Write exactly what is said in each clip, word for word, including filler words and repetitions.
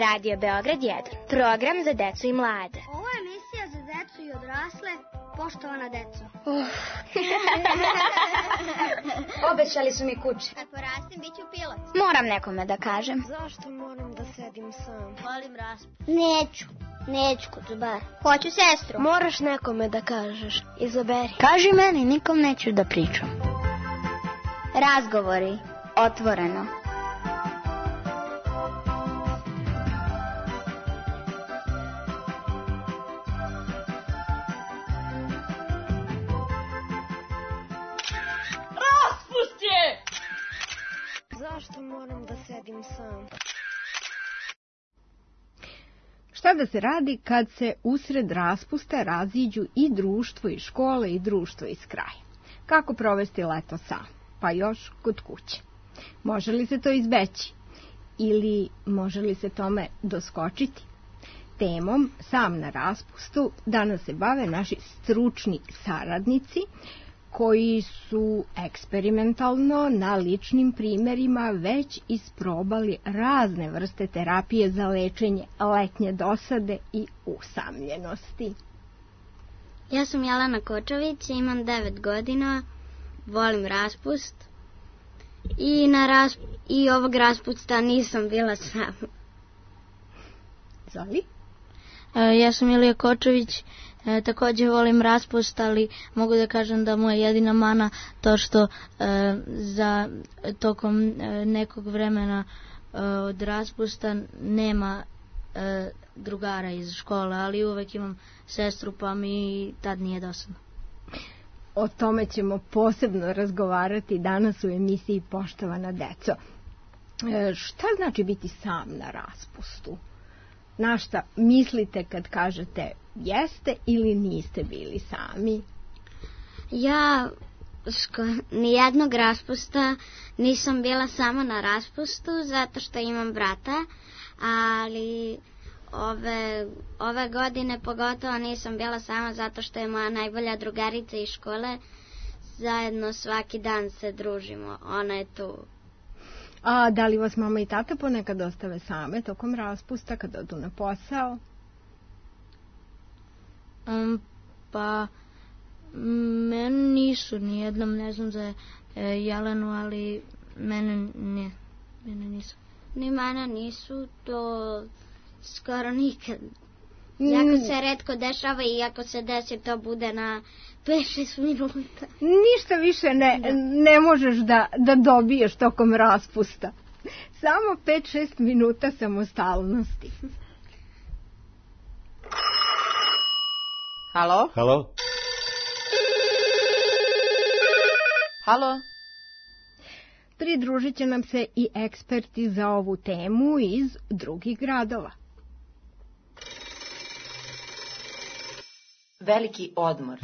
Radio Beograd jedan, program za decu i mlade. Ovo je emisija za decu i odrasle, poštovana deco. Uh. Obećali su mi kuće. Kad porastim, bit ću pilot. Moram nekome da kažem. Zašto moram da sedim sam? Volim raspust. Neću, neću Kuzubar. Hoću sestru. Moraš nekome da kažeš, izaberi. Kaži meni, nikom neću da pričam. Razgovori, otvoreno. Zašto moram da sedim sam? Šta da se radi kad se usred raspusta raziđu i društvo iz škole i društvo iz kraja? Kako provesti leto sam? Pa još kod kuće. Može li se to izbeći? Ili može li se tome doskočiti? Temom Sam na raspustu danas se bave naši stručni saradnici koji su eksperimentalno na ličnim primjerima već isprobali razne vrste terapije za lečenje letnje dosade i usamljenosti. Ja sam Jelena Kočović, imam devet godina, volim raspust i, na rasp... i ovog raspusta nisam bila sama. Zoli? E, ja sam Ilija Kočović, e, također volim raspust, ali mogu da kažem da moja jedina mana to što e, za tokom e, nekog vremena e, od raspusta nema e, drugara iz škole, ali uvek imam sestru pa mi tad nije dosadno. O tome ćemo posebno razgovarati danas u emisiji Poštovana deco. E, šta znači biti sam na raspustu? Na šta mislite kad kažete jeste ili niste bili sami? Ja sko, nijednog raspusta nisam bila samo na raspustu zato što imam brata, ali ove, ove godine pogotovo nisam bila sama zato što je moja najbolja drugarica iz škole. Zajedno svaki dan se družimo, ona je tu. A da li vas mama i tata ponekad ostave same tokom raspusta kad odu na posao? Um, pa mene nisu nijednom, ne znam za e, Jelenu, ali mene ne, mene nisu. Ni mene nisu, to skoro nikad. Jako se retko dešava i ako se desi to bude na pet šest minuta. Ništa više ne, ne možeš da, da dobiješ tokom raspusta. Samo pet šest minuta samostalnosti. Halo? Halo? Halo? Pridružit će nam se i eksperti za ovu temu iz drugih gradova. Veliki odmor.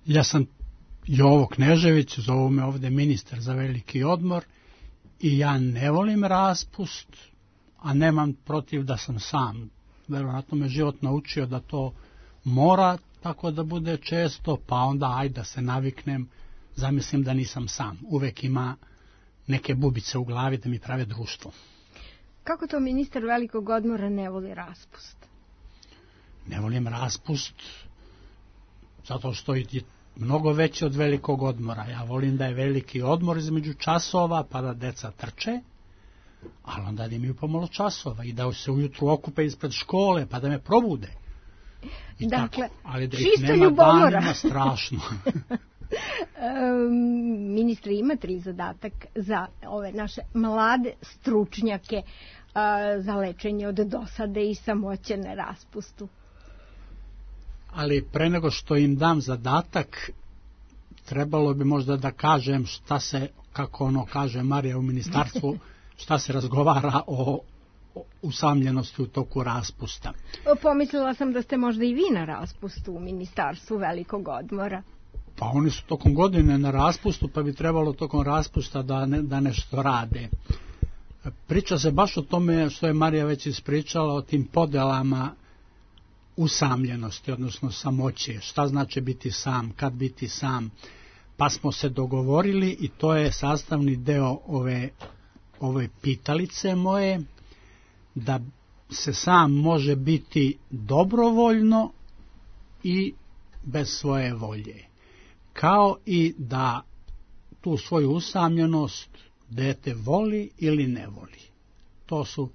Ja sam Jovo Knežević, zovu me ovdje ministar za veliki odmor i ja ne volim raspust, a nemam protiv da sam sam. Verovatno me život naučio da to mora tako da bude često, pa onda ajde da se naviknem, zamislim da nisam sam. Uvek ima neke bubice u glavi da mi prave društvo. Kako to ministar velikog odmora ne voli raspust? Ne volim raspust zato što je mnogo veći od velikog odmora. Ja volim da je veliki odmor između časova pa da deca trče, ali onda da imaju pomalo časova i da se ujutru okupe ispred škole pa da me probude. I dakle, tako, ali da ih čisto nema ljubomora. danima strašno. um, ministre, imate li zadatak za ove naše mlade stručnjake uh, za lečenje od dosade i samoće na raspustu? Ali pre nego što im dam zadatak, trebalo bi možda da kažem šta se, kako ono kaže Marija u ministarstvu, šta se razgovara o, o usamljenosti u toku raspusta. Pomislila sam da ste možda i vi na raspustu u ministarstvu velikog odmora. Pa oni su tokom godine na raspustu, pa bi trebalo tokom raspusta da, ne, da nešto rade. Priča se baš o tome što je Marija već ispričala, o tim podelama usamljenosti, odnosno samoće. Šta znači biti sam, kad biti sam. Pa smo se dogovorili i to je sastavni deo ove, ove pitalice moje, da se sam može biti dobrovoljno i bez svoje volje. Kao i da tu svoju usamljenost dete voli ili ne voli. To su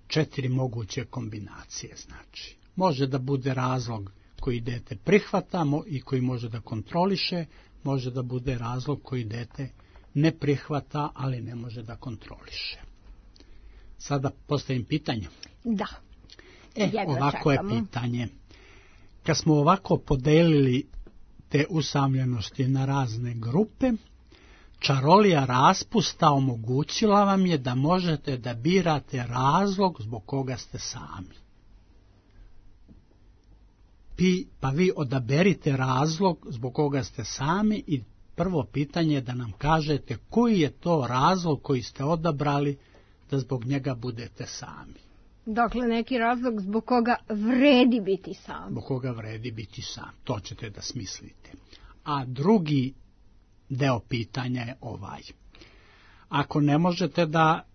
četiri moguće kombinacije, znači. Može da bude razlog koji dete prihvata i koji može da kontroliše, može da bude razlog koji dete ne prihvata, ali ne može da kontroliše. Sada postavim pitanje. Da. E, ovako čekamo. Je pitanje. Kad smo ovako podelili te usamljenosti na razne grupe, čarolija raspusta omogućila vam je da možete da birate razlog zbog koga ste sami. Pi, pa vi odaberite razlog zbog koga ste sami i prvo pitanje je da nam kažete koji je to razlog koji ste odabrali da zbog njega budete sami. Dakle, neki razlog zbog koga vredi biti sam. Zbog koga vredi biti sam, to ćete da smislite. A drugi deo pitanja je ovaj. Ako ne možete da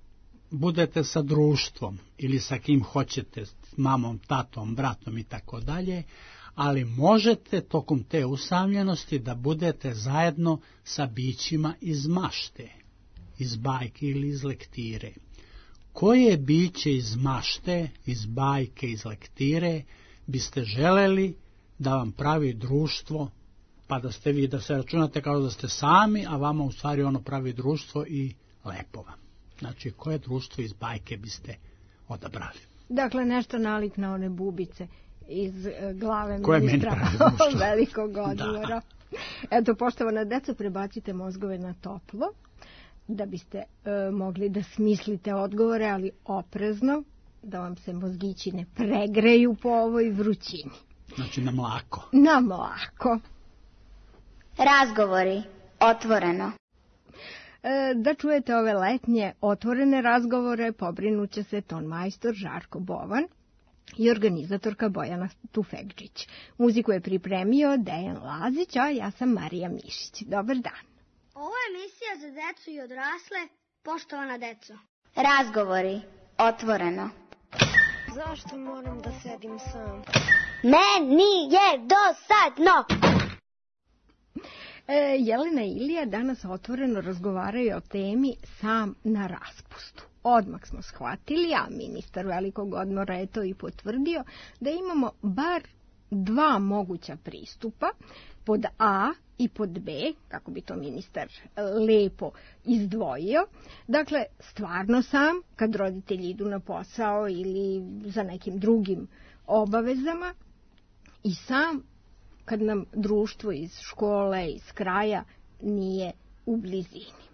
budete sa društvom ili sa kim hoćete, s mamom, tatom, bratom i tako dalje, ali možete tokom te usamljenosti da budete zajedno sa bićima iz mašte, iz bajke ili iz lektire. Koje biće iz mašte, iz bajke, iz lektire biste želeli da vam pravi društvo, pa da ste vi, da se računate kao da ste sami, a vama u stvari ono pravi društvo i lepo vam. Znači, koje društvo iz bajke biste odabrali? Dakle, nešto nalik na one bubice iz glave koje ministra velikog odmora. Eto, poštovana deco, prebacite mozgove na toplo, da biste e, mogli da smislite odgovore, ali oprezno, da vam se mozgići ne pregreju po ovoj vrućini. Znači, na mlako. Na mlako. Razgovori. Otvoreno. E, da čujete ove letnje otvorene razgovore, pobrinuće se tonmajstor Žarko Bovan i organizatorka Bojana Tufekđić. Muziku je pripremio Dejan Lazić, a ja sam Marija Mišić. Dobar dan. Ovo je emisija za decu i odrasle, poštovana deco. Razgovori. Otvoreno. Zašto moram da sedim sam? Meni je dosadno! E, Jelena i Ilija danas otvoreno razgovaraju o temi sam na raspustu. Odmah smo shvatili, a ministar velikog odmora je to i potvrdio, da imamo bar dva moguća pristupa, pod A i pod B, kako bi to ministar lepo izdvojio. Dakle, stvarno sam, kad roditelji idu na posao ili za nekim drugim obavezama, i sam kad nam društvo iz škole, iz kraja nije u blizini.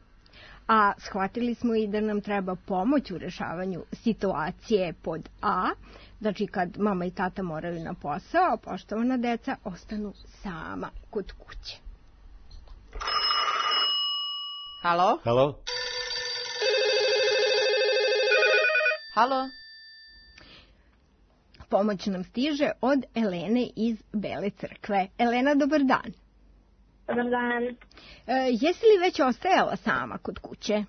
A shvatili smo i da nam treba pomoć u rešavanju situacije pod A, znači kad mama i tata moraju na posao, a poštovana deca ostanu sama kod kuće. Halo? Halo? Halo? Pomoć nam stiže od Elene iz Bele Crkve. Elena, dobar dan. Dobar dan. E, jesi li već ostajala sama kod kuće? E,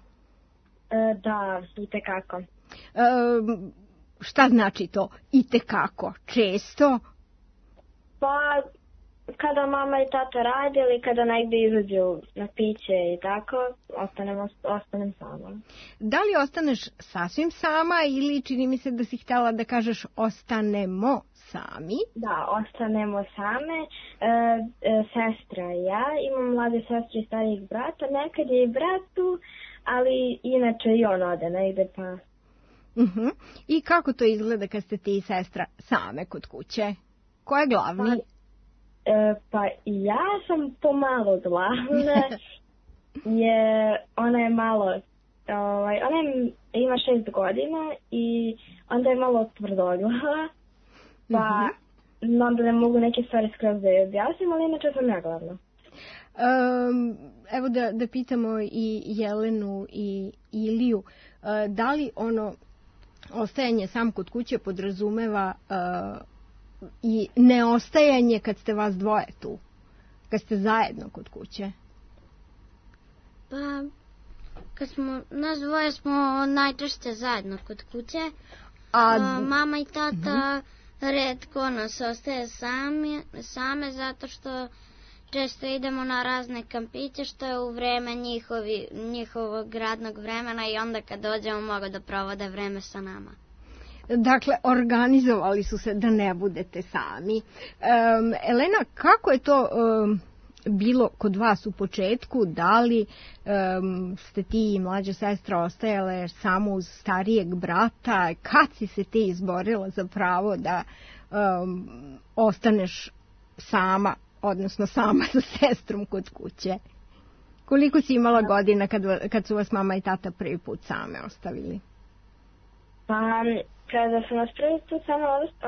da, itekako. E, šta znači to itekako? Često? Pa, kada mama i tata rade ili kada negde izađu na piće i tako, ostanem, ostanem sama. Da li ostaneš sasvim sama ili čini mi se da si htjela da kažeš ostanemo sami? Da, ostanemo same. E, e, sestra i ja, imam mlade sestre i starijeg brata, nekad je i brat tu, ali inače i on ode negde pa... Uh-huh. I kako to izgleda kad ste ti i sestra same kod kuće? Ko je glavni? Pa, e, pa ja sam pomalo glavna, jer ona je malo, ovaj, ona je, ima šest godina i onda je malo tvrdoglava, pa uh-huh. onda ne mogu neke stvari skroz da je objasnim, ali inače sam ja glavna. Um, evo da, da pitamo i Jelenu i Iliju, uh, da li ono ostajanje sam kod kuće podrazumeva uh, i neostajanje kad ste vas dvoje tu, kad ste zajedno kod kuće? Pa, kad smo, nas dvoje smo najčešće zajedno kod kuće. A, A mama i tata uh-huh. retko nas ostaje sami, same zato što često idemo na razne kampiće što je u vreme njihovi, njihovog radnog vremena i onda kad dođemo mogu da provode vreme sa nama. Dakle, organizovali su se da ne budete sami. Um, Elena, kako je to um, bilo kod vas u početku? Da li um, ste ti i mlađa sestra ostajale samo uz starijeg brata? Kad si se ti izborila za pravo da um, ostaneš sama, odnosno sama sa sestrom kod kuće? Koliko si imala godina kad, kad su vas mama i tata prvi put same ostavili? Pa, kada su nas prvi put same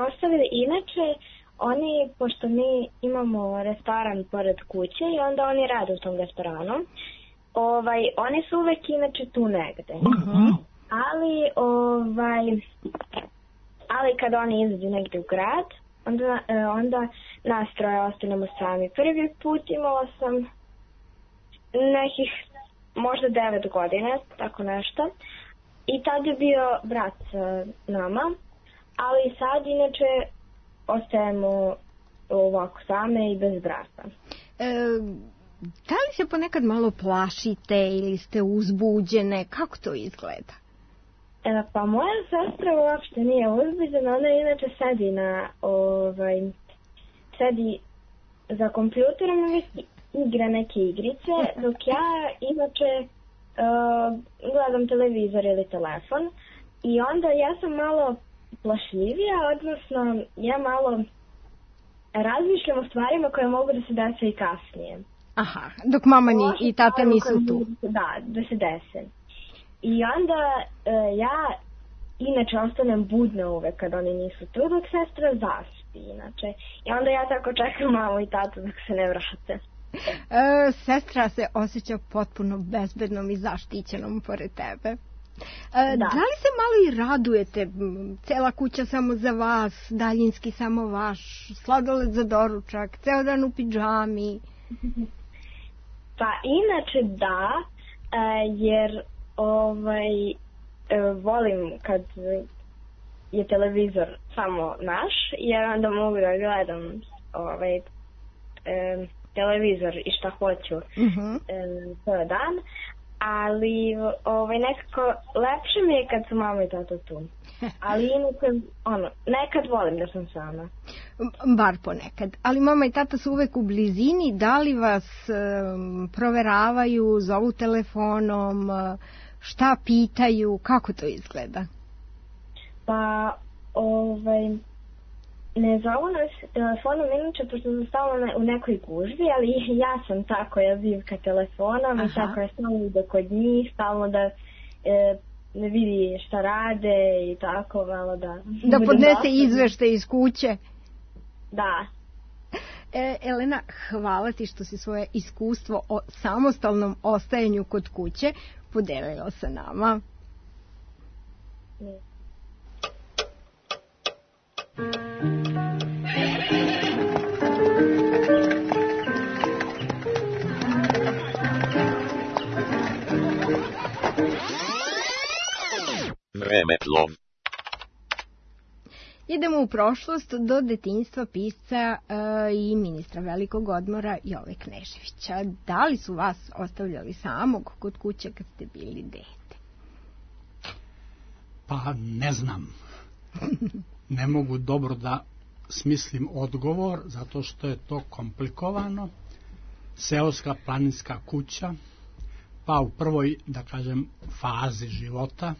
ostavili, inače, oni, pošto mi imamo restoran pored kuće i onda oni rade u tom restoranu, ovaj, oni su uvek inače tu negde. Uh-huh. Ali, ovaj, ali kada oni izađu negde u grad, onda, onda nas troje ostanemo sami. Prvi put imala sam nekih možda devet godina, tako nešto. I tad je bio brat sa nama, ali sad inače ostajemo ovako same i bez brata. E, da li se ponekad malo plašite ili ste uzbuđene? Kako to izgleda? E, pa moja sestra uopšte nije uzbuđena, ona inače sedi na, ovaj, sedi za kompjuterom i igra neke igrice, dok ja inače Uh, gledam televizor ili telefon i onda ja sam malo plašljivija, odnosno ja malo razmišljam o stvarima koje mogu da se dese i kasnije. Aha, dok mama ni, i tata nisu tu. Da, da se dese. I onda uh, ja inače ostanem budna uvek kad oni nisu tu, dok sestra zaspi inače. I onda ja tako čekam mamu i tatu dok se ne vrate. E, sestra se osjeća potpuno bezbednom i zaštićenom pored tebe. E, da. da li se malo i radujete? Cela kuća samo za vas, daljinski samo vaš, sladoled za doručak, ceo dan u pidžami? Pa inače da, jer ovaj, volim kad je televizor samo naš, jer onda mogu da gledam ovaj, televizor i šta hoću uh-huh. ceo dan, ali ovaj, nekako lepše mi je kad su mama i tata tu. Ali inače, ono, nekad volim da sam sama. Bar ponekad. Ali mama i tata su uvek u blizini, da li vas um, proveravaju, zovu telefonom, šta pitaju, kako to izgleda? Pa, ovaj... ne zovu nas telefonom, inače, pošto sam stalno u nekoj gužvi, ali ja sam ta koja zivka telefonom. Aha. I ta koja stalno ide kod njih, stalno da e, ne vidi šta rade i tako, malo da... Da podnese izvešte iz kuće. Da. E, Elena, hvala ti što si svoje iskustvo o samostalnom ostajanju kod kuće podelila sa nama. Ne. Vremeplov. Idemo u prošlost do detinjstva pisca e, i ministra velikog odmora Jove Kneževića. Da li su vas ostavljali samog kod kuće kad ste bili dete? Pa ne znam. Ne mogu dobro da smislim odgovor, zato što je to komplikovano. Seoska planinska kuća, pa u prvoj, da kažem, fazi života,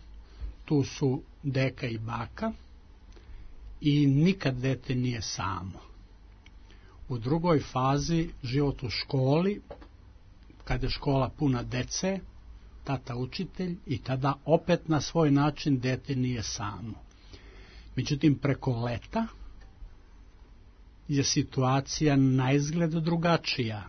tu su deka i baka i nikad dete nije samo. U drugoj fazi, život u školi, kada je škola puna dece, tata učitelj i tada opet na svoj način dete nije samo. Međutim, preko leta je situacija naizgled drugačija.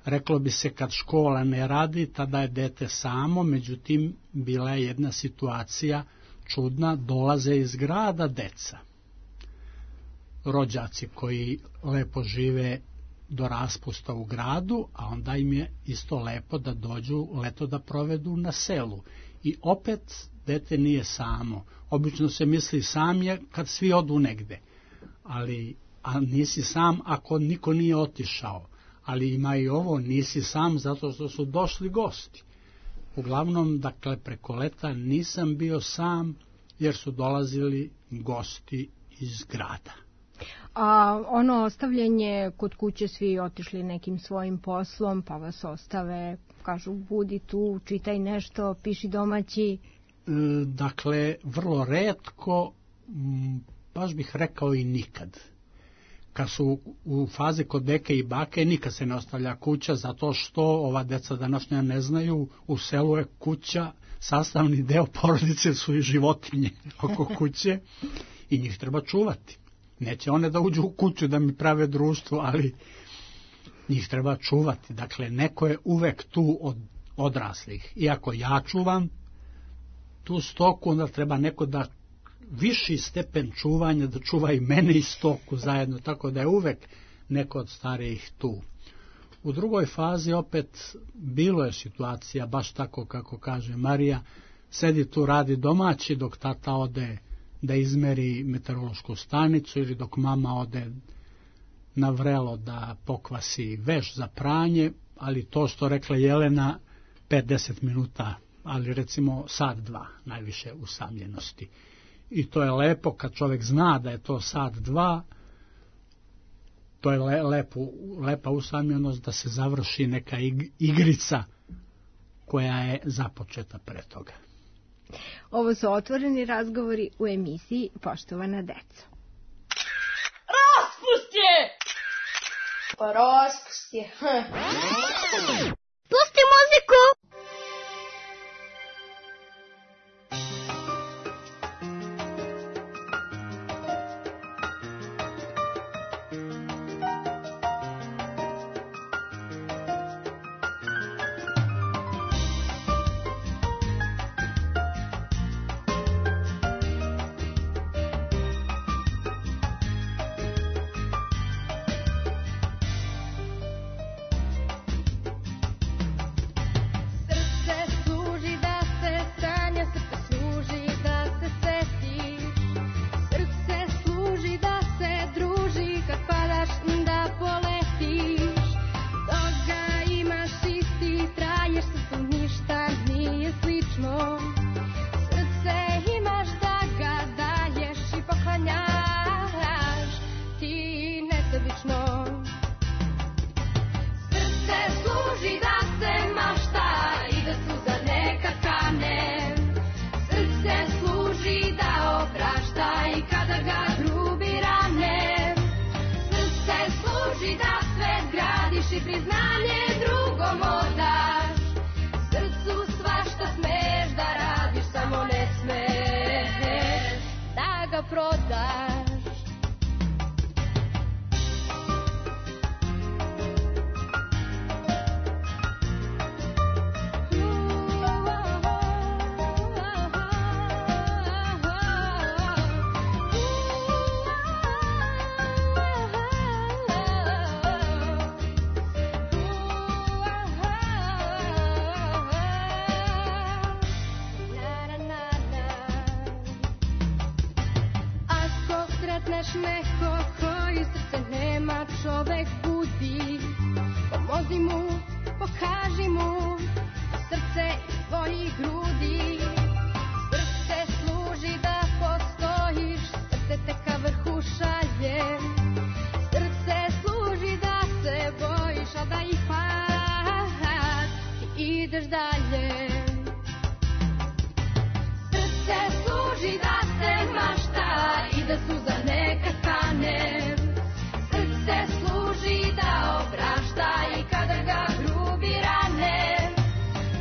Reklo bi se kad škola ne radi, tada je dete samo, međutim, bila je jedna situacija čudna, dolaze iz grada deca. rođaci koji lepo žive do raspusta u gradu, a onda im je isto lepo da dođu leto da provedu na selu. I opet dete nije samo. Obično se misli sam je kad svi odu negde, ali a nisi sam ako niko nije otišao. Ali ima i ovo, nisi sam zato što su došli gosti. Uglavnom, dakle, preko leta nisam bio sam jer su dolazili gosti iz grada. A ono ostavljanje kod kuće, svi otišli nekim svojim poslom, pa vas ostave, kažu budi tu, čitaj nešto, piši domaći. E, dakle, vrlo retko, m, baš bih rekao i nikad. Kad su u fazi kod deke i bake, nikad se ne ostavlja kuća, zato što ova deca današnja ne znaju, u selu je kuća, sastavni deo porodice su i životinje oko kuće i njih treba čuvati. Neće one da uđu u kuću da mi prave društvo, ali njih treba čuvati. Dakle, neko je uvek tu od odraslih. Iako ja čuvam tu stoku, onda treba neko da viši stepen čuvanja, da čuva i mene i stoku zajedno, tako da je uvek neko od starijih tu. U drugoj fazi opet bilo je situacija, baš tako kako kaže Marija, sedi tu, radi domaći dok tata ode da izmeri meteorološku stanicu ili dok mama ode na vrelo da pokvasi veš za pranje, ali to što rekla Jelena, pet do deset minuta, ali recimo sat, dva, najviše usamljenosti. I to je lepo kad čovjek zna da je to sat, dva, to je le, lepo, lepa usamljenost da se završi neka igrica koja je započeta pre toga. Ovo su otvoreni razgovori u emisiji Poštovana deco. Raspust je! Pa raspust je. Pusti muziku!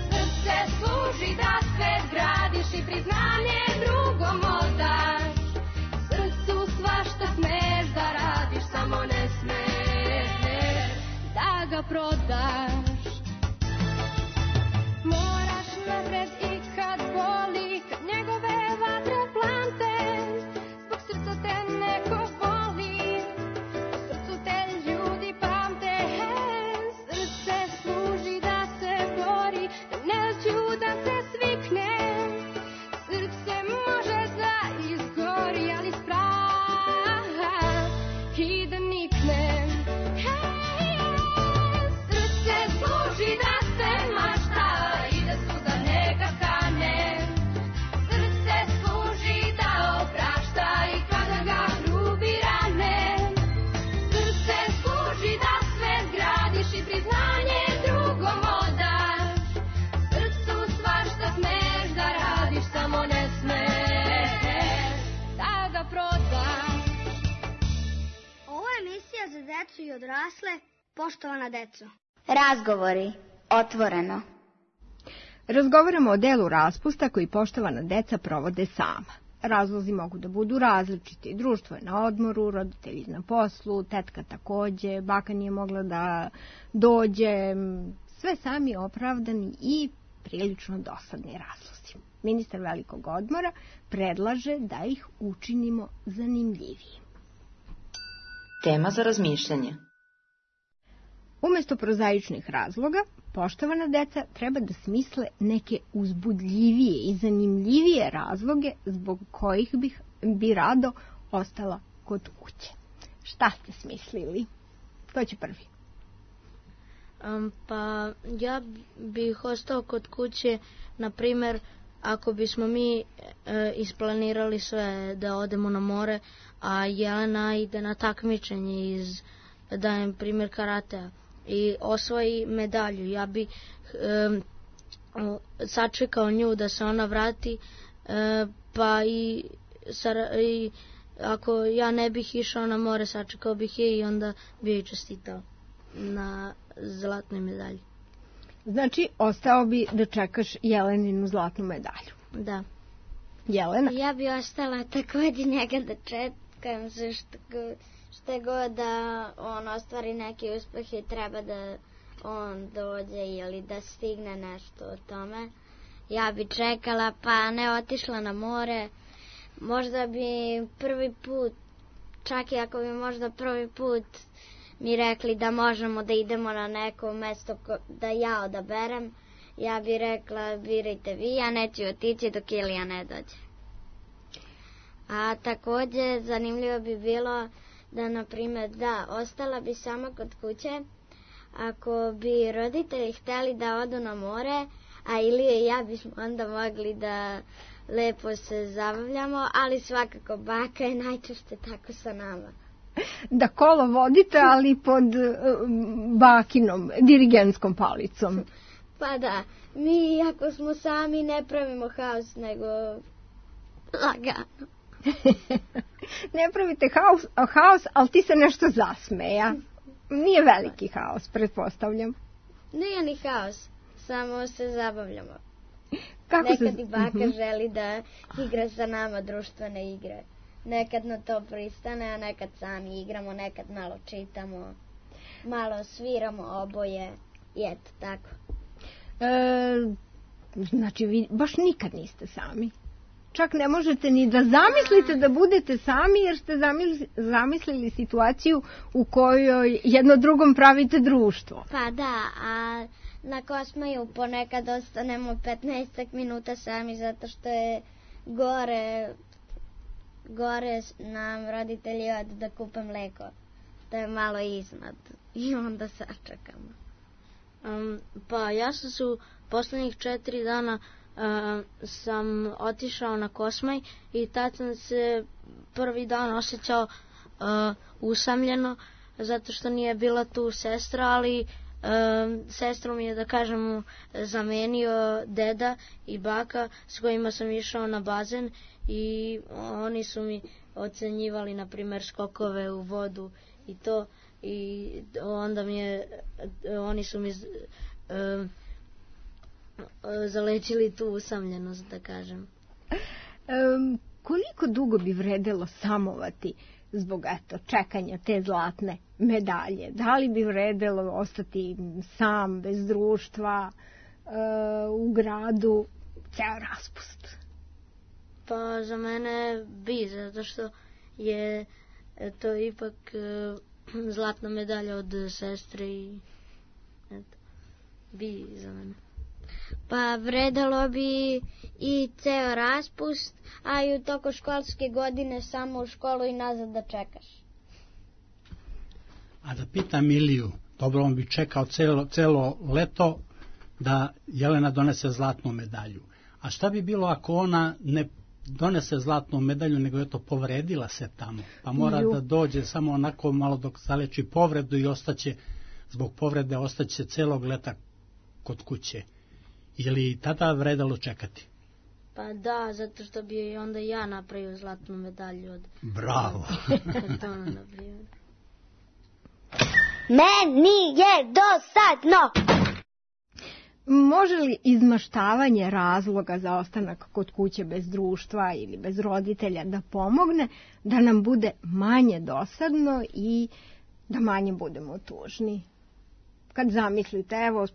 Srce služi da svet gradi. decu i odrasle, poštovana deco. Razgovori. Otvoreno. Razgovaramo o delu raspusta koji poštovana deca provode sama. Razlozi mogu da budu različiti. Društvo je na odmoru, roditelji na poslu, tetka takođe, baka nije mogla da dođe, sve sami opravdani i prilično dosadni razlozi. Ministar velikog odmora predlaže da ih učinimo zanimljivijim. Tema za razmišljanje. Umesto prozaičnih razloga, poštovana deca treba da smisle neke uzbudljivije i zanimljivije razloge zbog kojih bih, bi rado ostala kod kuće. Šta ste smislili? Ko će prvi? Um, pa ja bih ostao kod kuće, na primjer, ako bismo mi e, isplanirali sve da odemo na more, a Jelena ide na takmičenje iz, dajem primjer, karatea i osvoji medalju, ja bi e, sačekao nju da se ona vrati, e, pa i, sar, i ako ja ne bih išao na more, sačekao bih je i onda bi joj čestitao na zlatnoj medalji. Znači, ostao bi da čekaš Jeleninu zlatnu medalju. Da. Jelena? Ja bi ostala također njega da čekam, što, što god da on ostvari neki uspeh i treba da on dođe ili da stigne nešto o tome. Ja bi čekala, pa ne otišla na more. Možda bi prvi put, čak i ako bi možda prvi put mi rekli da možemo da idemo na neko mesto da ja odaberem, ja bi rekla birajte vi, ja neću otići dok Ilija ne dođe. A također zanimljivo bi bilo da, na primjer, da, ostala bi sama kod kuće ako bi roditelji hteli da odu na more, a Ilija i ja bismo onda mogli da lepo se zabavljamo, ali svakako baka je najčešće tako sa nama. Da kolo vodite, ali pod bakinom, dirigentskom palicom. Pa da, mi ako smo sami ne pravimo haos, nego lagano. Ne pravite haos, haos, ali ti se nešto zasmeja. Nije veliki haos, pretpostavljam. Nije ni haos, samo se zabavljamo. Kako Nekad se... i baka uh-huh. želi da igra sa nama društvene igre. Nekad na to pristane, a nekad sami igramo, nekad malo čitamo, malo sviramo oboje i eto tako. E, znači, vi baš nikad niste sami. Čak ne možete ni da zamislite da budete sami, jer ste zamislili situaciju u kojoj jedno drugom pravite društvo. Pa da, a na Kosmaju ponekad ostanemo petnaest minuta sami zato što je gore... Gore nam roditelji od da kupe mleko. To je malo iznad. I onda sačekamo. Um, pa ja sam se u poslednjih četiri dana uh, sam otišao na Kosmaj i tad sam se prvi dan osjećao uh, usamljeno zato što nije bila tu sestra, ali uh, sestru mi je, da kažemo, zamenio deda i baka s kojima sam išao na bazen i oni su mi ocenjivali, na primjer, skokove u vodu i to, i onda mi je, oni su mi uh, zalečili tu usamljenost, da kažem. Um, koliko dugo bi vredelo samovati zbog, eto, čekanja te zlatne medalje? Da li bi vredelo ostati sam, bez društva, uh, u gradu, ceo raspust? Pa za mene bi, zato što je to ipak uh, zlatna medalja od sestre i eto, bi za mene. Pa vredalo bi i ceo raspust, a i u toku školske godine samo u školu i nazad da čekaš. A da pitam Iliju, dobro, on bi čekao celo, celo leto da Jelena donese zlatnu medalju. A šta bi bilo ako ona ne donese zlatnu medalju, nego je to povredila se tamo, pa mora Ju. da dođe samo onako malo dok zaleči povredu i ostaće, zbog povrede ostaće celog leta kod kuće. Je li tada vredalo čekati? Pa da, zato što bi onda ja napravio zlatnu medalju od... Bravo! Kartona, na primjer. Meni je dosadno. Može li izmaštavanje razloga za ostanak kod kuće bez društva ili bez roditelja da pomogne da nam bude manje dosadno i da manje budemo tužni? Kad zamislite, evo,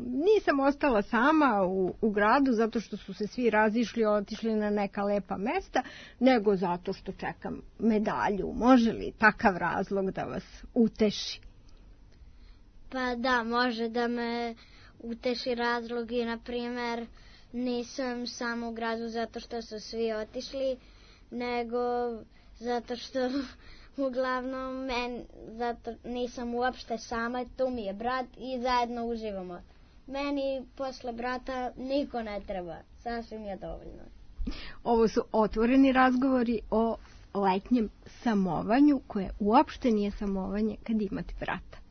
nisam ostala sama u, u gradu zato što su se svi razišli, otišli na neka lepa mesta, nego zato što čekam medalju. Može li takav razlog da vas uteši? Pa da, može da me uteši razlog i, na primjer, nisam samo u gradu zato što su svi otišli, nego zato što uglavnom men, zato nisam uopšte sama, tu mi je brat i zajedno uživamo. Meni posle brata niko ne treba, sasvim je dovoljno. Ovo su otvoreni razgovori o letnjem samovanju, koje uopšte nije samovanje kad imate brata.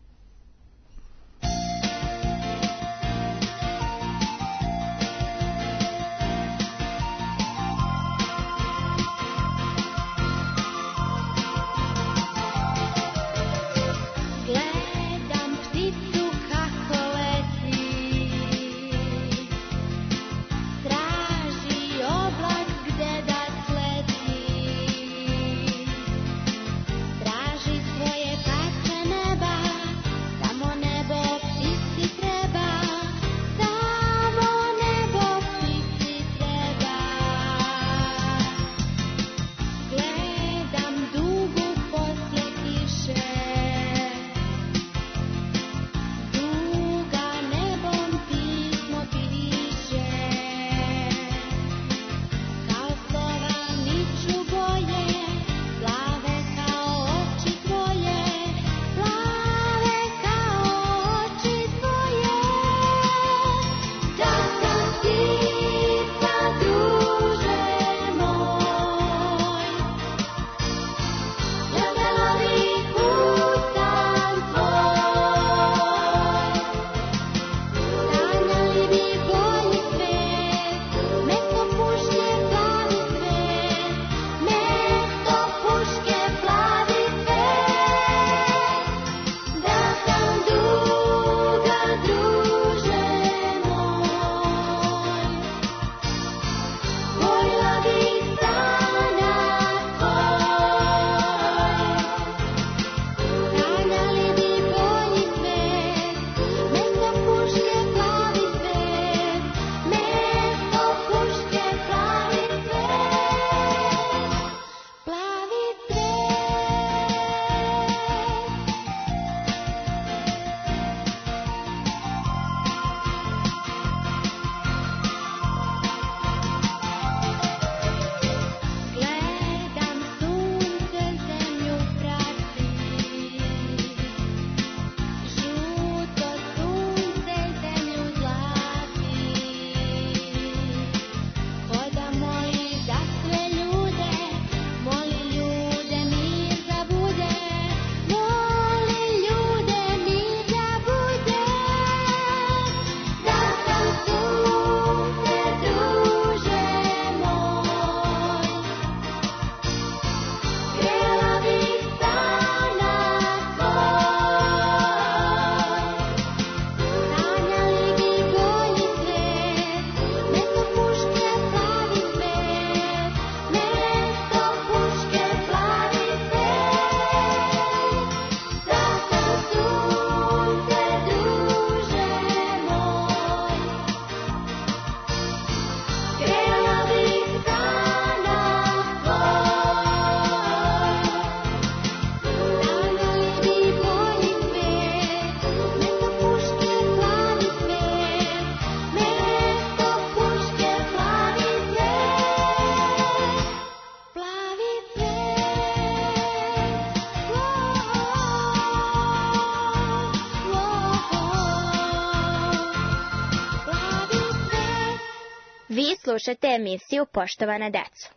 Vi slušate emisiju Poštovana deco.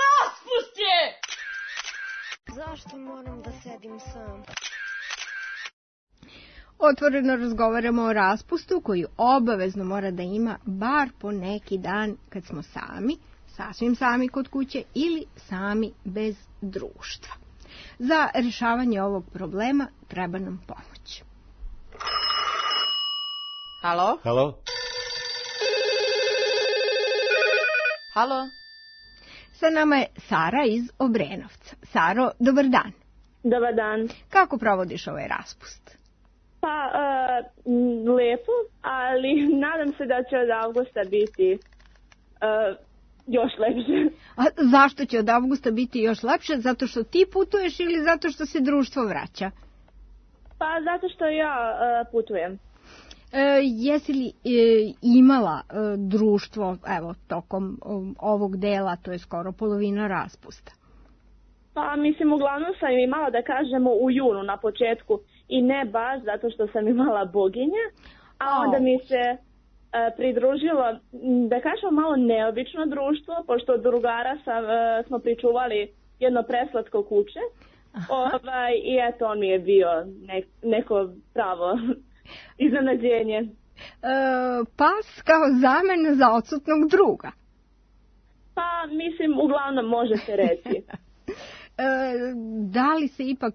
Raspust je! Zašto moram da sedim sam? Otvoreno razgovaramo o raspustu koji obavezno mora da ima bar po neki dan kad smo sami, sasvim sami kod kuće ili sami bez društva. Za rješavanje ovog problema treba nam pomoć. Halo? Halo? Halo? Sa nama je Sara iz Obrenovca. Saro, dobar dan. Dobar dan. Kako provodiš ovaj raspust? Pa, uh, lepo, ali nadam se da će od avgusta biti uh, još lepše. A zašto će od avgusta biti još lepše? Zato što ti putuješ ili zato što se društvo vraća? Pa, zato što ja uh, putujem. E, jesi li e, imala e, društvo, evo, tokom um, ovog dela, to je skoro polovina raspusta? Pa, mislim, uglavnom sam imala, da kažemo, u junu na početku i ne baš zato što sam imala boginje, a onda mi se e, pridružilo, da kažemo, malo neobično društvo, pošto od drugara sam, e, smo pričuvali jedno preslatko kuće, ovaj, i eto, on mi je bio ne, neko pravo iznenađenje. E, pas kao zamena za odsutnog druga. Pa, mislim, uglavnom može se reći. e, da li se ipak,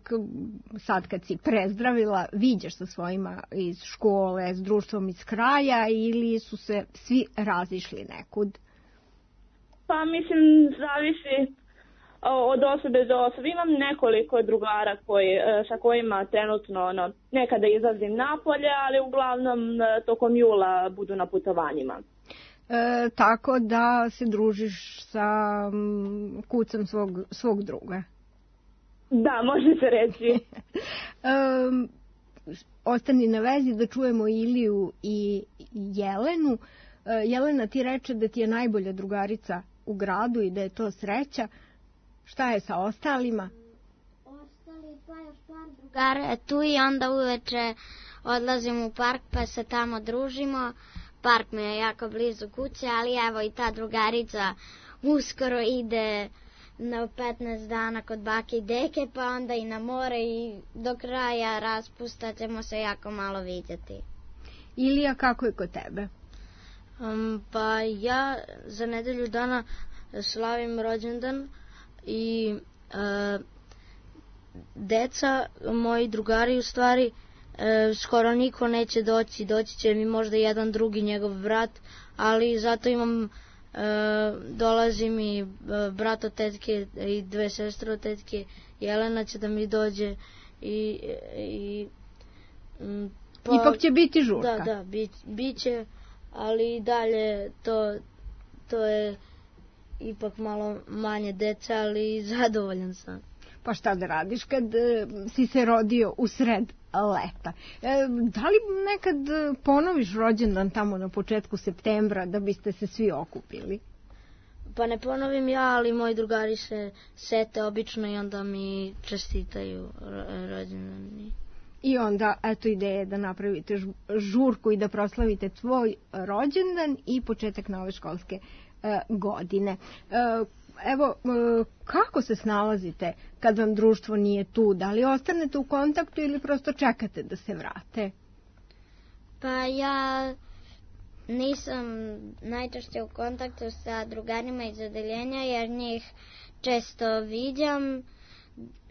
sad kad si prezdravila, viđaš sa svojima iz škole, s društvom iz kraja, ili su se svi razišli nekud? Pa, mislim, zavisi od osobe do osobe. Imam nekoliko drugara koji, sa kojima trenutno ono, nekada izlazim napolje, ali uglavnom tokom jula budu na putovanjima. E, tako da se družiš sa m, kucem svog, svog druga. Da, može se reći. e, ostani na vezi da čujemo Iliju i Jelenu. E, Jelena ti reče da ti je najbolja drugarica u gradu i da je to sreća. Šta je sa ostalima? Ostali pa još par drugara tu i onda uveče odlazimo u park pa se tamo družimo. Park mi je jako blizu kuće, ali evo i ta drugarica uskoro ide na petnaest dana kod bake i deke, pa onda i na more i do kraja raspusta ćemo se jako malo vidjeti. Ilija, kako je kod tebe? Um, pa ja za nedelju dana slavim rođendan i e, deca, moji drugari u stvari, e, skoro niko neće doći, doći će mi možda jedan drugi njegov brat, ali zato imam, e, dolazi mi brat od tetke i dve sestre od tetke, Jelena će da mi dođe i, i pa, ipak će biti žurka. Da, da, bit, bit će, ali i dalje to, to je ipak malo manje deca, ali zadovoljan sam. Pa šta da radiš kad e, si se rodio u sred leta? E, da li nekad ponoviš rođendan tamo na početku septembra da biste se svi okupili? Pa ne ponovim ja, ali moji drugari se sete obično i onda mi čestitaju rođendan. I onda, eto, ideje da napravite žurku i da proslavite tvoj rođendan i početak nove školske godine. Evo, kako se snalazite kad vam društvo nije tu? Da li ostanete u kontaktu ili prosto čekate da se vrate? Pa ja nisam najčešće u kontaktu sa drugarima iz odeljenja jer njih često viđam.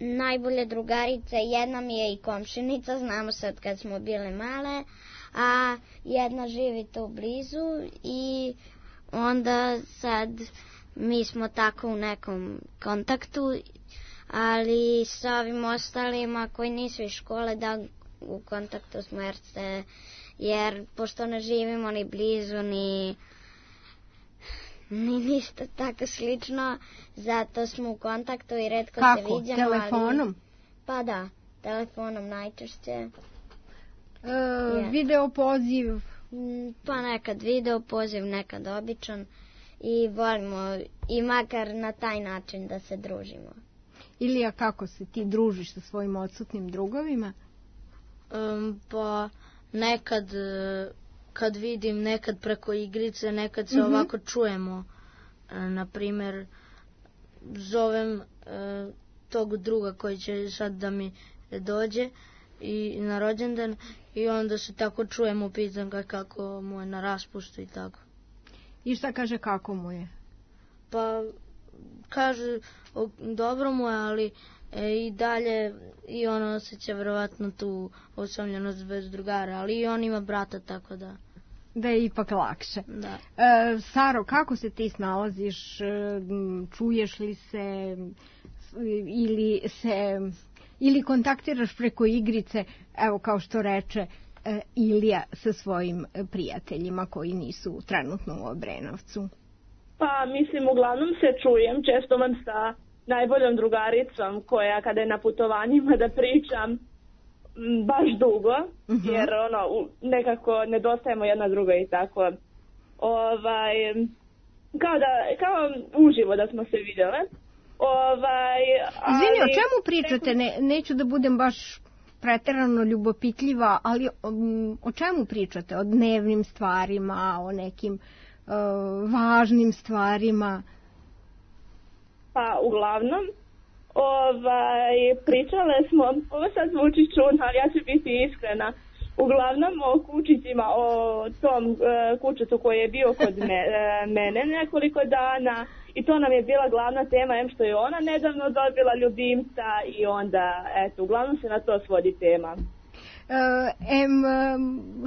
Najbolje drugarice, jedna mi je i komšinica, znamo se od kad smo bile male, a jedna živi tu blizu i onda sad mi smo tako u nekom kontaktu, ali sa ovim ostalima koji nisu iz škole da u kontaktu smo jer, se, jer pošto ne živimo ni blizu ni, ni ništa tako slično, zato smo u kontaktu i retko kako? Se vidimo. Kako? Telefonom? Ali, pa da, telefonom najčešće. E, yeah. Video poziv? Pa nekad video poziv, nekad običan i volimo i makar na taj način da se družimo. Ilija, kako se ti družiš sa svojim odsutnim drugovima? Um, pa nekad kad vidim, nekad preko igrice, nekad se mm-hmm. ovako čujemo. E, na primjer, zovem e, tog druga koji će sad da mi dođe i na rođendan i onda se tako čujemo, pitam ga kako mu je na raspustu i tako. I šta kaže kako mu je? Pa kaže o, dobro mu je, ali e, i dalje i on osjeća verovatno tu osamljenost bez drugara, ali i on ima brata, tako da... Da je ipak lakše. Da. E, Saro, kako se ti snalaziš? Čuješ li se ili se ili kontaktiraš preko igrice, evo kao što reče e, Ilija, sa svojim prijateljima koji nisu trenutno u Obrenovcu? Pa mislim, uglavnom se čujem, često vam sa najboljom drugaricom koja kada je na putovanjima da pričam baš dugo, uh-huh. jer ono, nekako nedostajemo jedna druga i tako. Ovaj, kao, da, kao uživo da smo se vidjele. Ovaj, Izvini, o čemu pričate? Ne, neću da budem baš preterano ljubopitljiva, ali um, o čemu pričate? O dnevnim stvarima, o nekim uh, važnim stvarima? Pa uglavnom, ovaj, pričale smo, ovo sad zvuči čudno, ali ja ću biti iskrena, uglavnom o kučićima, o tom uh, kućetu koji je bio kod me, uh, mene nekoliko dana, i to nam je bila glavna tema, em što je ona nedavno dobila ljubimca i onda, eto, uglavnom se na to svodi tema. Uh, em,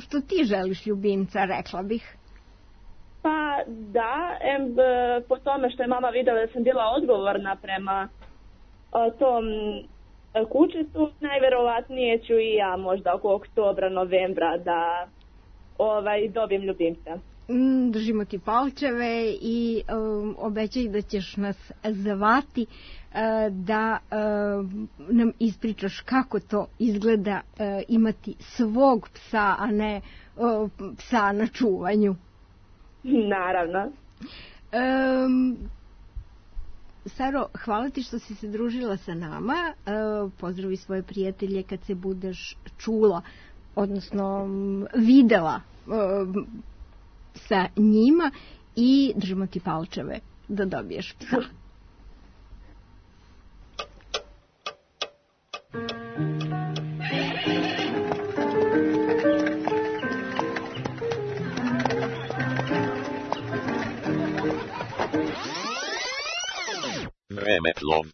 što ti želiš ljubimca, rekla bih? Pa da, em, po tome što je mama vidjela da sam bila odgovorna prema o, tom kućetu, najverovatnije ću i ja možda oko oktobra, novembra da ovaj, dobijem ljubimca. Držimo ti palčeve i um, obećaj da ćeš nas zvati uh, da uh, nam ispričaš kako to izgleda uh, imati svog psa, a ne uh, psa na čuvanju. Naravno. Um, Saro, hvala ti što si se družila sa nama. Uh, pozdravi svoje prijatelje kad se budeš čula, odnosno um, videla um, sa njima, i držimo ti palčeve da dobiješ psa. Vremeplov.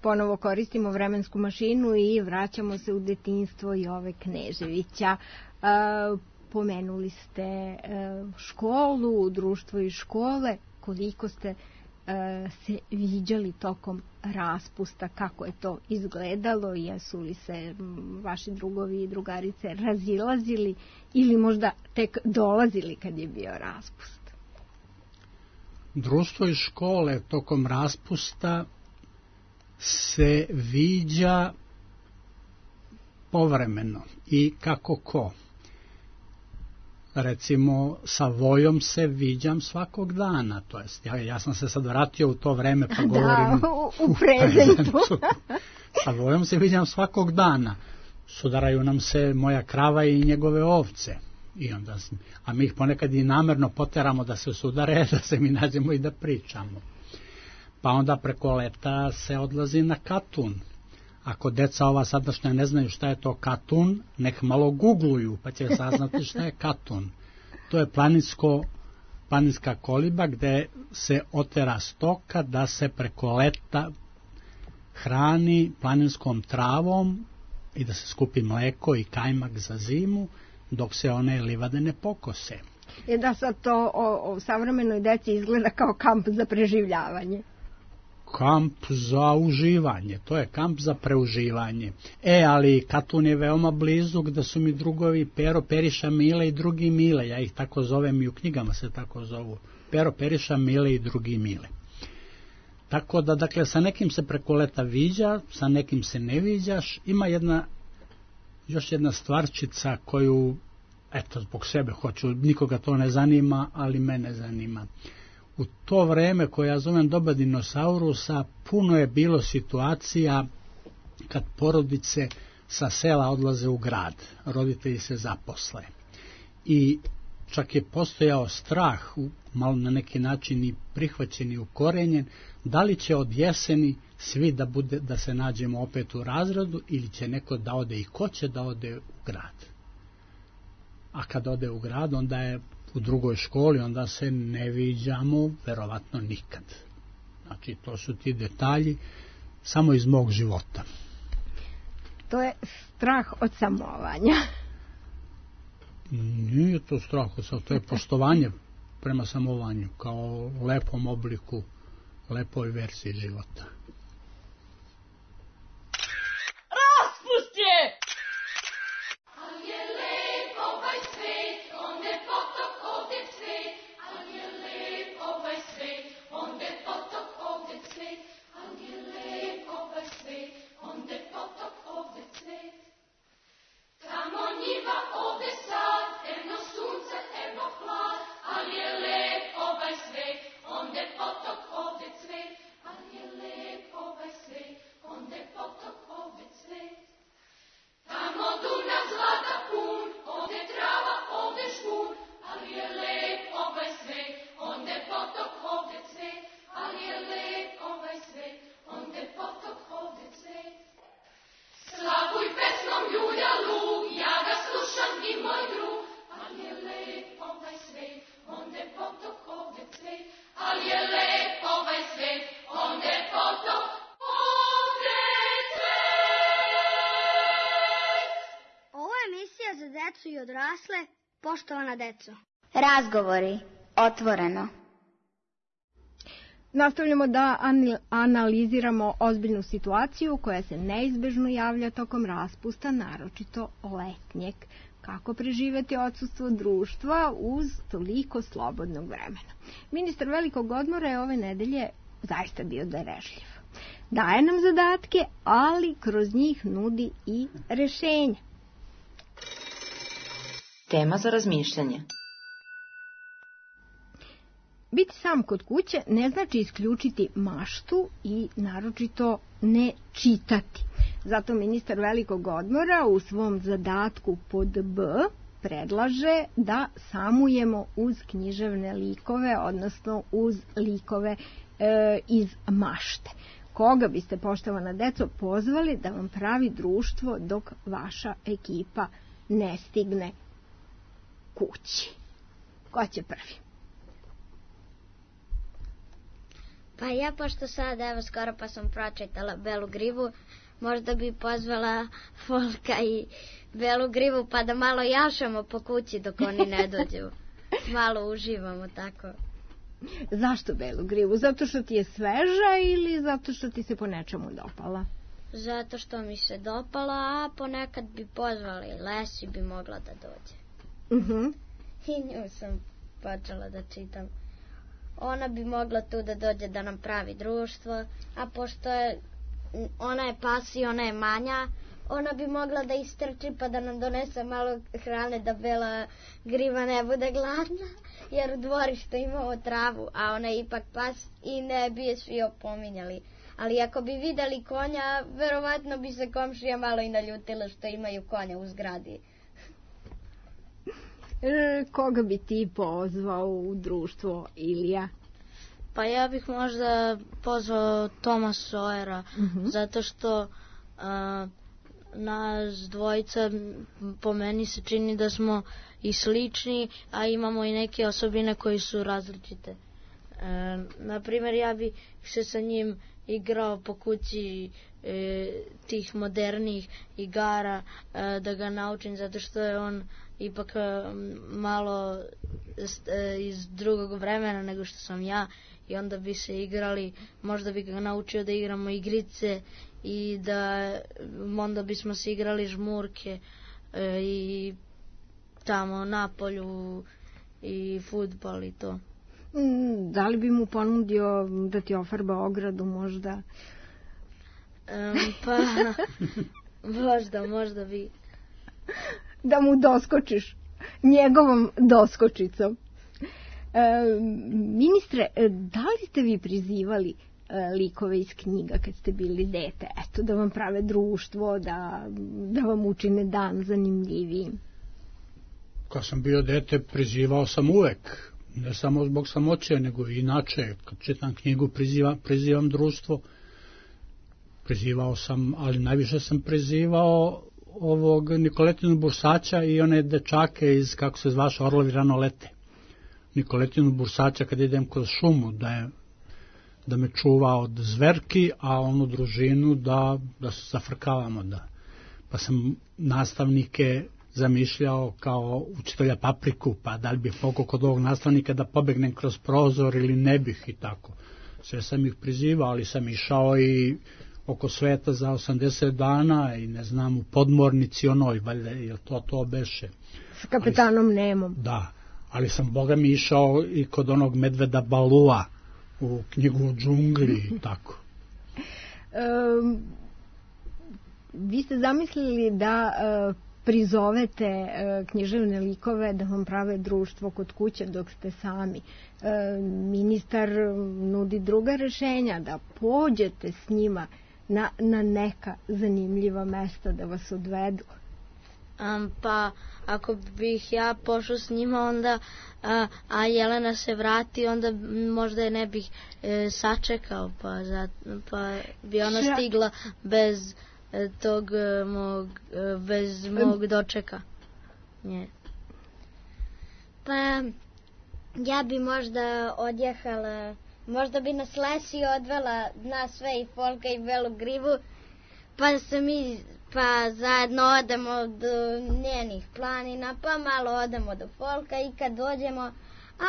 Ponovo koristimo vremensku mašinu i vraćamo se u detinjstvo Jove Kneževića. Uh, Pomenuli ste školu, društvo i škole. Koliko ste se viđali tokom raspusta, kako je to izgledalo, jesu li se vaši drugovi i drugarice razilazili ili možda tek dolazili kad je bio raspust? Društvo i škole tokom raspusta se viđa povremeno i kako ko. Recimo, sa Vojom se viđam svakog dana, to jest, ja, ja sam se sad vratio u to vreme, pa govorim da, u, u prezentu. Sa Vojom se viđam svakog dana, sudaraju nam se moja krava i njegove ovce, i onda, a mi ih ponekad i namerno poteramo da se sudare, da se mi nađemo i da pričamo. Pa onda preko leta se odlazi na Katun. Ako deca ova sadašnja ne znaju šta je to Katun, nek malo googluju, pa će saznati šta je Katun. To je planinsko, planinska koliba gde se otera stoka da se preko leta hrani planinskom travom i da se skupi mleko i kajmak za zimu, dok se one livade ne pokose. Je da sad to o, o savremenoj deci izgleda kao kamp za preživljavanje. Kamp za uživanje, to je kamp za preuživanje. E, ali Katun je veoma blizu, gde su mi drugovi Pero, Periša, Mile i drugi Mile, ja ih tako zovem i u knjigama se tako zovu, Pero, Periša, Mile i drugi Mile. Tako da, dakle, sa nekim se preko leta viđa, sa nekim se ne viđaš. Ima jedna, još jedna stvarčica koju, eto, zbog sebe hoću, nikoga to ne zanima, ali mene zanima. U to vreme koje ja zovem doba dinosaurusa, puno je bilo situacija kad porodice sa sela odlaze u grad, roditelji se zaposle. I čak je postojao strah, malo na neki način i prihvaćen i ukorenjen, da li će od jeseni svi da, bude, da se nađemo opet u razredu ili će neko da ode i ko će da ode u grad. A kad ode u grad, onda je u drugoj školi, onda se ne viđamo verovatno nikad. Znači, to su ti detalji samo iz mog života. To je strah od samovanja. Nije to strah od samovanja, to je poštovanje prema samovanju, kao lepom obliku, lepoj verziji života. Raspust je! I odrasle, poštovana deco. Razgovori, otvoreno. Nastavljamo da analiziramo ozbiljnu situaciju koja se neizbežno javlja tokom raspusta, naročito letnjeg. Kako preživeti odsustvo društva uz toliko slobodnog vremena. Ministar velikog odmora je ove nedelje zaista bio darežljiv. Daje nam zadatke, ali kroz njih nudi i rešenja. Tema za razmišljanje. Biti sam kod kuće ne znači isključiti maštu i naročito ne čitati. Zato ministar velikog odmora u svom zadatku pod B predlaže da samujemo uz književne likove, odnosno uz likove e, iz mašte. Koga biste, poštovana deco, pozvali da vam pravi društvo dok vaša ekipa ne stigne kući? Ko će prvi? Pa ja, pošto sad, evo, skoro pa sam pročitala Belu Grivu, možda bi pozvala Folka i Belu Grivu pa da malo jašamo po kući dok oni ne dođu. Malo uživamo tako. Zašto Belu Grivu? Zato što ti je sveža ili zato što ti se po nečemu dopala? Zato što mi se dopala, a ponekad bi pozvali, Lesi bi mogla da dođe. Uh-huh. I nju sam počela da čitam. Ona bi mogla tu da dođe da nam pravi društvo, a pošto je, ona je pas i ona je manja, ona bi mogla da istrči pa da nam donese malo hrane da Bela Griva ne bude gladna, jer u dvorištu imamo travu, a ona je ipak pas i ne bi je svi opominjali. Ali ako bi videli konja, verovatno bi se komšija malo i naljutila što imaju konja u zgradi. E, koga bi ti pozvao u društvo, Ilija? Pa ja bih možda pozvao Toma Sojera, uh-huh. zato što a, nas dvojica, po meni se čini da smo i slični, a imamo i neke osobine koji su različite. E, naprimjer, ja bih se sa njim igrao po kući e, tih modernih igara, e, da ga naučim, zato što je on ipak malo iz drugog vremena nego što sam ja, i onda bi se igrali, možda bi ga naučio da igramo igrice i da onda bismo se igrali žmurke e, i tamo na polju i fudbal i to. Da li bi mu ponudio da ti ofarba ogradu možda? Um, pa možda, možda bi. Da mu doskočiš njegovom doskočicom. E, ministre, da li ste vi prizivali e, likove iz knjiga kad ste bili dete? Eto, da vam prave društvo, da, da vam učine dan zanimljivijim. Kad sam bio dete, prizivao sam uvek. Ne samo zbog samoće, nego i inače. Kad čitam knjigu, prizivam, prizivam društvo. Prizivao sam, ali najviše sam prizivao ovog Nikoletinu Bursaća i one dečake iz, kako se zvaše, Orlovi rano lete. Nikoletinu Bursaća kad idem kroz šumu, da, je, da me čuva od zverki, a onu družinu da, da se zafrkavamo. Da. Pa sam nastavnike zamišljao kao učitelja Papriku, pa da li bih mogao kod ovog nastavnika da pobegnem kroz prozor ili ne bih i tako. Sve sam ih prizivao, ali sam išao i oko sveta za osamdeset dana i ne znam, u podmornici onoj, valjda, je to to beše. S kapetanom Nemom. Da, ali sam, boga mi, išao i kod onog medveda Balua u knjigu o džungli i tako. Um, vi ste zamislili da uh, prizovete uh, književne likove da vam prave društvo kod kuće dok ste sami. Uh, ministar nudi druga rešenja, da pođete s njima na, na neka zanimljiva mesta da vas odvedu. Um, pa ako bih ja pošao s njima onda a, a Jelena se vrati, onda možda je ne bih e, sačekao, pa, za, pa bi ona Ša... stigla bez e, tog e, mog e, bez mog dočeka. Nje. Pa ja bi možda odjehala, možda bi nas Lesi odvela na sve i Folka i Belu Grivu, pa se mi pa zajedno odemo do njenih planina, pa malo odemo do Folka i kad dođemo,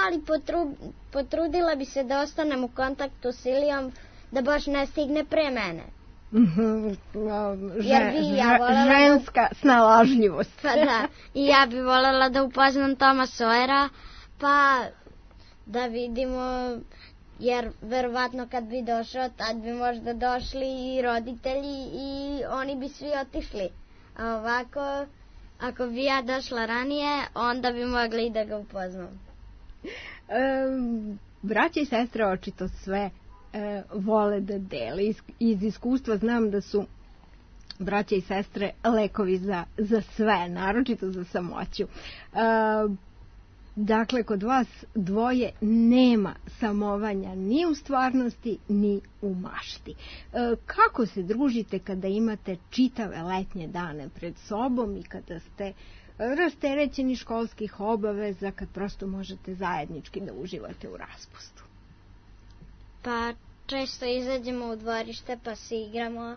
ali potru, potrudila bi se da ostanem u kontaktu s Ilijom, da baš ne stigne pre mene. Jer bi ja volela ženska da... snalažljivost. Pa da, i ja bi volela da upoznam Toma Sojera, pa da vidimo, jer verovatno kad bi došao, tad bi možda došli i roditelji i oni bi svi otišli. A ovako, ako bi ja došla ranije, onda bi mogli da ga upoznam. Um, braća i sestre očito sve e, vole da dele. Iz, iz iskustva znam da su braća i sestre lekovi za, za sve, naročito za samoću. E, Dakle, kod vas dvoje nema samovanja ni u stvarnosti, ni u mašti. E, kako se družite kada imate čitave letnje dane pred sobom i kada ste rasterećeni školskih obaveza, kad prosto možete zajednički da uživate u raspustu? Pa često izađemo u dvorište pa se igramo,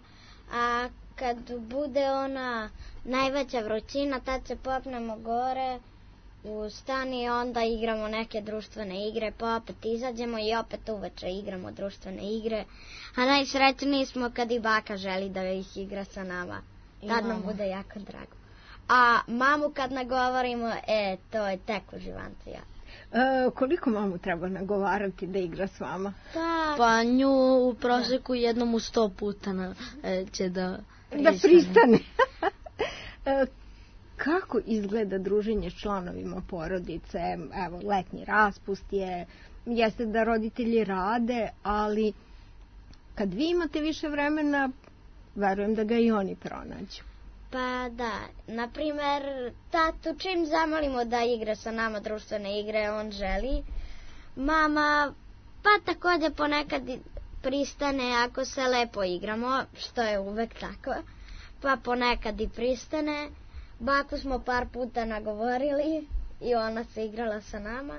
a kad bude ona najveća vrućina, tad se popnemo gore u stan i onda igramo neke društvene igre, pa opet izađemo i opet uveče igramo društvene igre. A najsrećniji smo kad i baka želi da ih igra sa nama. Tad nam bude jako drago. A mamu kad nagovorimo, e, to je tek uživancija. E, koliko mamu treba nagovarati da igra s vama? Pa, pa nju u proseku jednom u sto puta na, e, će da pristane. Da pristane. e, Kako izgleda druženje s članovima porodice? Evo, letnji raspust je, jeste da roditelji rade, ali kad vi imate više vremena, verujem da ga i oni pronađu. Pa da, na primer, tatu čim zamolimo da igra sa nama društvene igre, on želi. Mama, pa takođe ponekad pristane ako se lepo igramo, što je uvek tako, pa ponekad i pristane. Baku smo par puta nagovorili i ona se igrala sa nama.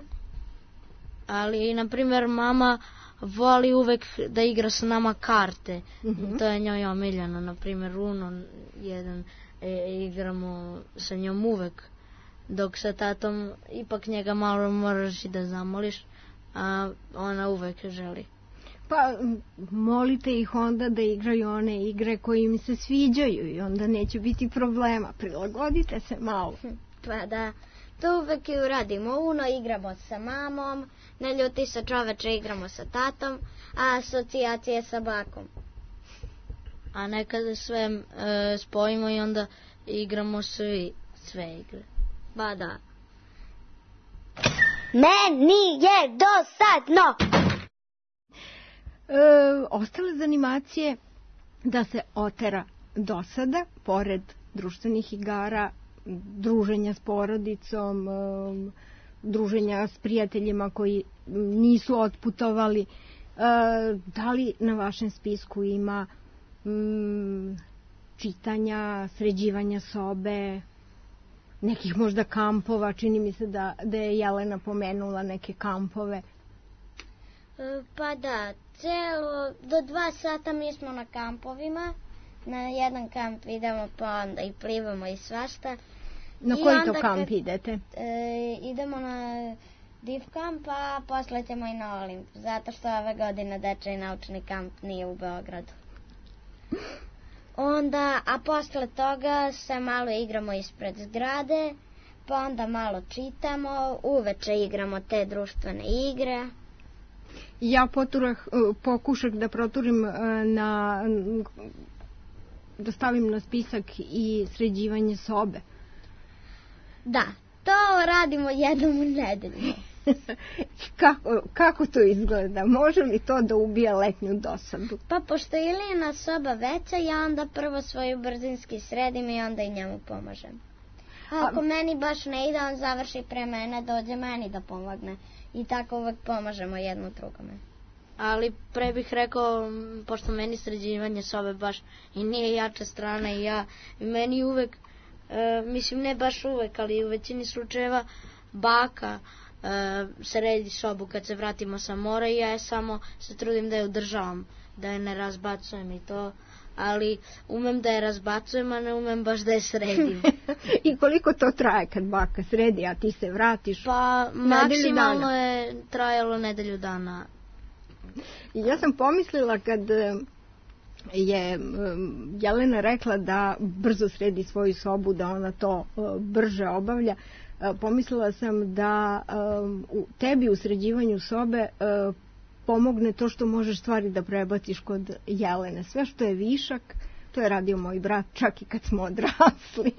Ali, na primjer, mama voli uvek da igra sa nama karte. Mm-hmm. To je njoj omiljeno. Na primjer, Uno jedan e, igramo sa njom uvek. Dok sa tatom ipak njega malo moraš i da zamoliš, a ona uvek želi. Pa molite ih onda da igraju one igre koje im se sviđaju i onda neće biti problema. Prilagodite se malo. Pa da, to uvek i uradimo. Uno igramo sa mamom, ne ljuti se čoveče igramo sa tatom, a asocijacije sa bakom. A nekada sve e, spojimo i onda igramo svi, sve igre. Ba da. Meni je dosadno! E, ostale zanimacije da se otera dosada, pored društvenih igara, druženja s porodicom, e, druženja s prijateljima koji nisu otputovali. E, da li na vašem spisku ima m, čitanja, sređivanja sobe? nekih možda kampova, čini mi se da, da je Jelena pomenula neke kampove. Pa da, celo, do dva sata mi smo na kampovima, na jedan kamp idemo pa onda i plivamo i svašta. Na I koji to kamp kad, idete? E, idemo na div kamp, a posle ćemo i na Olimp, zato što ove godine dečiji naučni kamp nije u Beogradu. Onda, a posle toga se malo igramo ispred zgrade, pa onda malo čitamo, uveče igramo te društvene igre. Ja poturah, pokušak da proturim na, da stavim na spisak i sređivanje sobe. Da, to radimo jednom u nedelju. kako, kako to izgleda? Može li to da ubije letnju dosadu? Pa pošto je Ilijina soba veća, ja onda prvo svoju brzinski sredim i onda i njemu pomažem. A ako A... meni baš ne ide, on završi pre mene, dođe meni da pomogne. I tako uvek pomažemo jedno drugome. Ali pre bih rekao, pošto meni sređivanje sobe baš i nije jača strana i ja, i meni uvek, e, mislim ne baš uvek, ali u većini slučajeva baka e, sredi sobu kad se vratimo sa mora i ja samo se trudim da je održavam, da je ne razbacujem i to, ali umem da je razbacujem, a ne umem baš da je sredim. I koliko to traje kad baka sredi, a ti se vratiš? Pa maksimalno je trajalo nedelju dana. Ja sam pomislila kad je Jelena rekla da brzo sredi svoju sobu, da ona to brže obavlja, pomislila sam da u tebi u sređivanju sobe pomogne to što možeš stvari da prebaciš kod Jelene. Sve što je višak, to je radio moj brat čak i kad smo odrasli.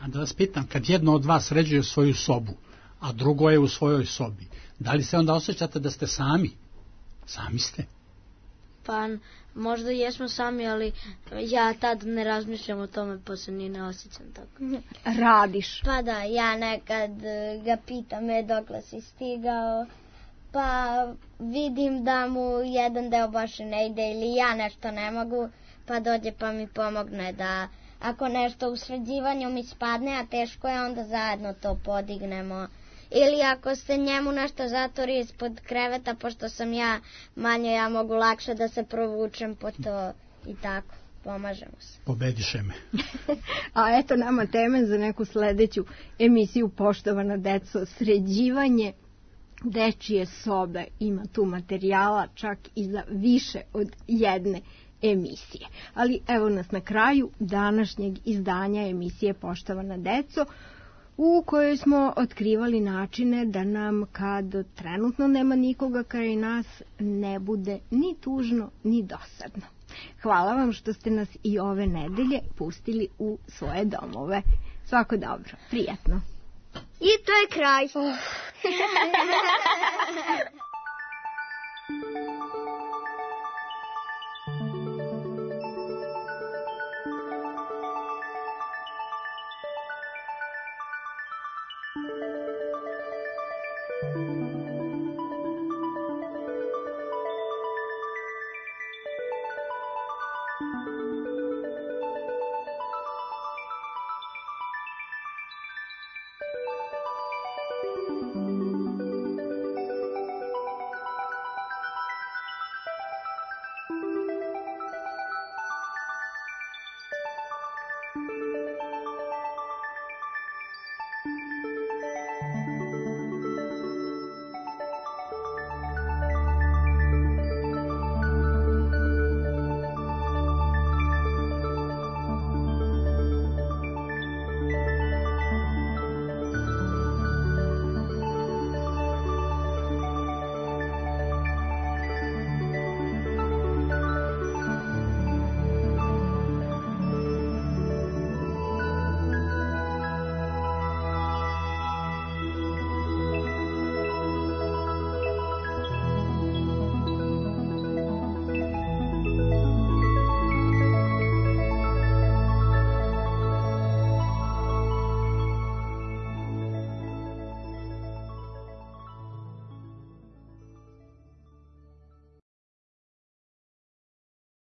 A da vas pitam, kad jedno od vas sređuje svoju sobu, a drugo je u svojoj sobi, da li se onda osjećate da ste sami? Sami ste? Pa možda jesmo sami, ali ja tad ne razmišljam o tome, pa se ni ne osjećam tako. Radiš? Pa da, ja nekad ga pitam e, dokle si stigao, pa vidim da mu jedan deo baš ne ide ili ja nešto ne mogu, pa dođe pa mi pomogne da ako nešto u sređivanju mi spadne, a teško je, onda zajedno to podignemo. Ili ako se njemu nešto zatori ispod kreveta, pošto sam ja manje, ja mogu lakše da se provučem po to i tako. Pomažemo se. Pobediše me. A eto nama teme za neku sledeću emisiju, poštovana deco, sređivanje dečije sobe. Ima tu materijala čak i za više od jedne emisije. Ali evo nas na kraju današnjeg izdanja emisije Poštovana deco, u kojoj smo otkrivali načine da nam, kad trenutno nema nikoga kraj nas, ne bude ni tužno ni dosadno. Hvala vam što ste nas i ove nedelje pustili u svoje domove. Svako dobro, prijatno. I to je kraj.